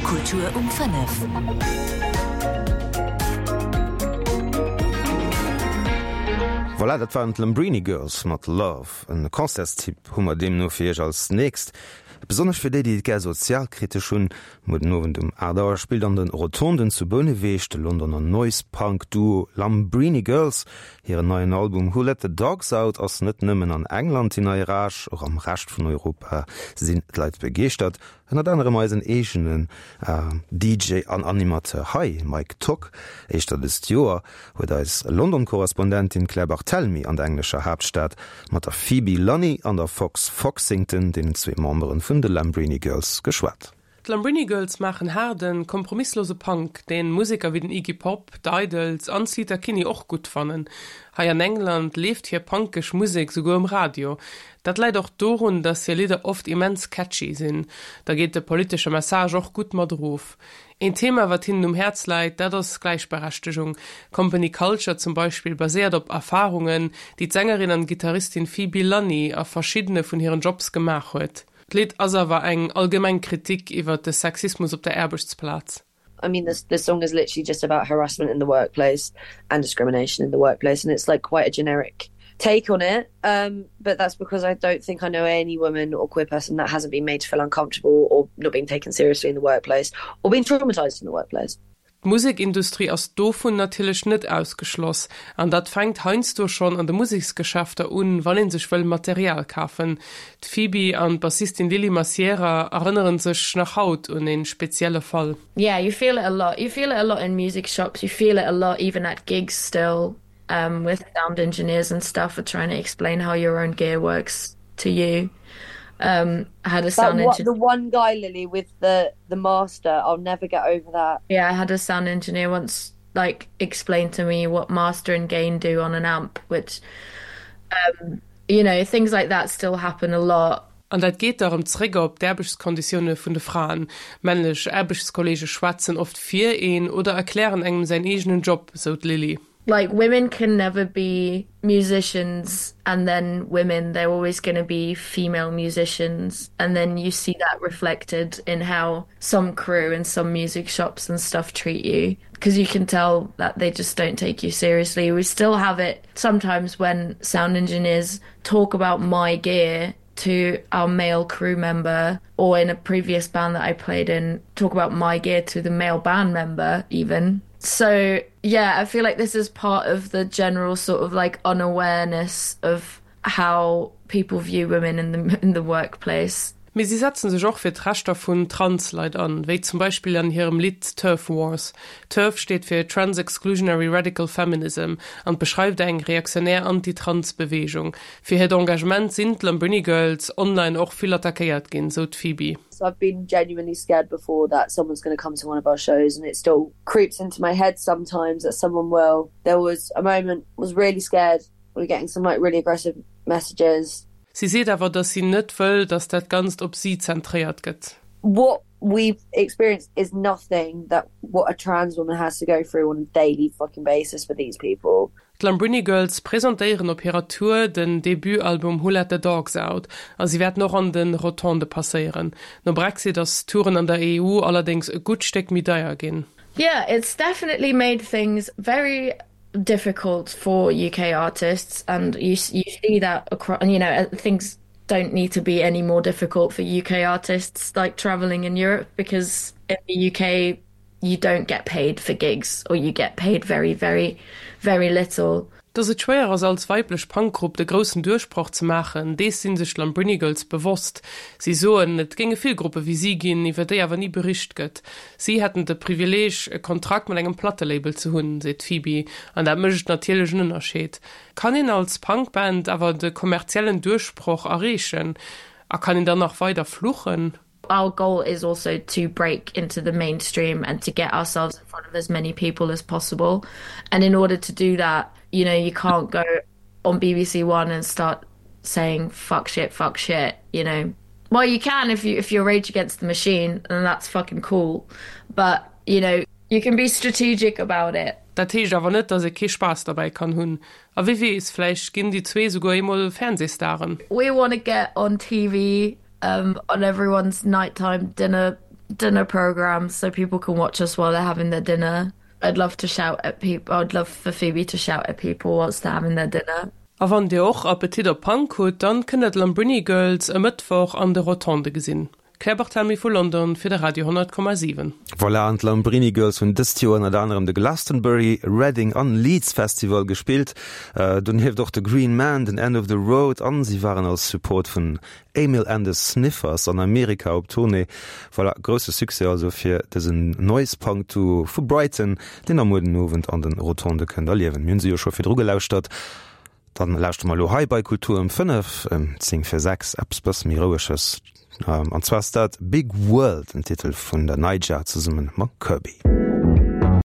Kultur um 5. Voilà, dat waren d'Lambrini Girls mat Love. En Concertstipp hu mer deemno fir iech als nächst. Besonnesch fir déi, déi et gär sozialkritesch hunn, Muer den Owend um 8 Auer spillt an den Rotonden zu Bouneweg de Londoner Noise-Punk-Duo Lambrini Girls. Hiren neien Album Who Let The Dogs Out ass net nëmmen an England déi nei Rage, och am Rescht vun Europa sinn d'Leit begeeschtert. Ënnert anerem eisen eegenen DJ an Animateur hei, Mike Tock. Éischter dëst Joer huet eis London-Korrespondentin Claire Barthelmy an der englescher Haaptstad mat der Phoebe Lunny an der Fox Foxington, deenen zwee Memberen vun de Lambrini Girls, geschwat. D'Lambrini Girls maachen haarden, kompromisslose Punk, deen Museker wéi den Iggy Pop, d'Idles an d'Sleater Kinney och gutt fannen. Hei an England leeft hir punkeg Musek souguer um Radio. Dat läit och dorun, dass hir Lidder oft immens catchy sinn. Da geet de politesche Message och gutt mat erof. Een Thema, wat hinnen um Häerz läit, dat ass Gläichberechtegung. Company Culture zum Beispill baséiert op Erfarungen, déi d'Sängerin an Gittaristin Phoebe Lunny a verschiddene vun hiren Jobs gemaach huet. D'Lidd ass awer eng allgemeng Kritik iwwer de Sexismus op der Aarbechtsplaz. I mean this this song is literally just about harassment in the workplace and discrimination in the workplace and it's like quite a generic take on it um but that's because I don't think I know any woman or queer person that hasn't been made to feel uncomfortable or not being taken seriously in the workplace or been traumatized in the workplace. D'Musekindustrie ass dovun natierlech net ausgeschloss, an dat fänkt heiansdo schonn an de Museksgeschäfter un, wann ee sech wëll Material kafen. D'Phoebe an d'Bassistin Lily Massiera erënnere sech nach haut un ee spezielle Fall. Yeah, you feel it a lot. You feel it a lot in music shops, you feel it a lot even at gigs still with sound engineers and stuff are trying to explain how your own gear works to you. Um, I had a sound engineer. The one guy, Lily, with the the master. I'll never get over that. Yeah, I had a sound engineer once like explain to me what master and gain do on an amp, which um, you know, things like that still happen a lot. An dat geet da rëm zréck op d'Aarbechtskonditioune vun de Fraen. Männlech Aarbechtskolleege schwätzen oft fir een oder erklären engem säin eegenen Job, sou d'Lily. Like women can never be musicians and then women, they're always gonna be female musicians and then you see that reflected in how some crew and some music shops and stuff treat you because you can tell that they just don't take you seriously. We still have it sometimes when sound engineers talk about my gear to our male crew member or in a previous band that I played in talk about my gear to the male band member even. So yeah, I feel like this is part of the general sort of like unawareness of how people view women in the in the workplace. Mee si setzen sech och fir d'Rechter vun Trans-Leit an, wéi zum Beispill an hirem Lidd Turf Wars. TERF steet fir Trans Exclusionary Radical Feminism an beschreift eng reaktionär Anti-Trans-Beweegung. Fir hiert Engagement sinn d'Lambrini Girls online och vill attackéiert ginn, sou d'Phoebe. So I've been genuinely scared before that someone's gonna come to one of our shows and it still creeps into my head sometimes that someone will. There was a moment was really scared we were getting some like really aggressive messages. Si seet awer, datt si net wëll, datt dat Ganzt op si zentréiert gëtt. What we've experienced is nothing that what a trans woman has to go through on a daily fucking basis for these people. D'Lambrini Girls presentéieren op hirer Tour den Debutalbum Who Let The Dogs Out a si wäerten och an de Rotondë passéieren. Nom Brexit ass Touren an der EU allerdéngs e gutt Stéck méi deier ginn. Yeah, it's definitely made things very difficult for UK artists and you you see that across and you know uh, things don't need to be any more difficult for UK artists like traveling in Europe because in the UK you don't get paid for gigs or you get paid very very very little. Dass et schwéier ass als weiblech Punkgrupp de groussen Duerchbroch ze maachen, dees si sech d'Lambrini Girls bewosst. Si soen, et géinge vill Gruppe wéi si ginn, iwwer déi awer ni bericht gëtt. Si hätten de Privileeg, e Kontrakt mat engem Plattelabel ze hunn, seet d'Phoebe, an dat mécht natierlech en Ënnerscheed. Kann een als Punkband awer de kommerziellen Duerchbroch erreechen? A kann een dann nach weider fluchen? Our goal is also to break into the mainstream and to get ourselves in front of as many people as possible. And in order to do that, you know, you can't go on BBC One and start saying fuck shit, fuck shit, you know. Well, you can if you if you're Rage Against the Machine and that's fucking cool. But, you know, you can be strategic about it. Dat heescht awer net, dass ee kee Spaass derbäi kann hunn. A wie weess, vläicht ginn déi zwee souguer eemol Fernsehstaren. We wanna get on TV um, on everyone's nighttime dinner. dinner programs so people can watch us while they're having their dinner. I'd love to shout at people I'd love for Phoebe to shout at people whilst they're having their dinner. A wann dir och Appetit op Punk hutt, dann kënnt der d'Lambrini Girls e Mëttwoch an de Rotonde gesinn. Claire Barthelmy vu London fir de Radio 100,7. Voilà, an d'Lambrini Girls hunn dëst Joer ënnert anerem de Glastonbury, Reading an Leeds Festival gespillt. Donieft och de Green Man, den End of the Road an si waren als Support vun Amyl and the Sniffers an Amerika op Tournée. Voilà, grousse Succès also fir dësen Noise-Punk-Duo vu Brighton, deen der muer den Owend an den Rotondë kënnt erliewen. Mir hunn se jo scho virdru gelauschtert. Dann lauschteren mer elo hei bei Kultur ëm 5, ëm 10 vir 6 eppes bësse méi roueges. An zwar ass dat Big World, den Titel vun der Naija zesumme mam Kirby.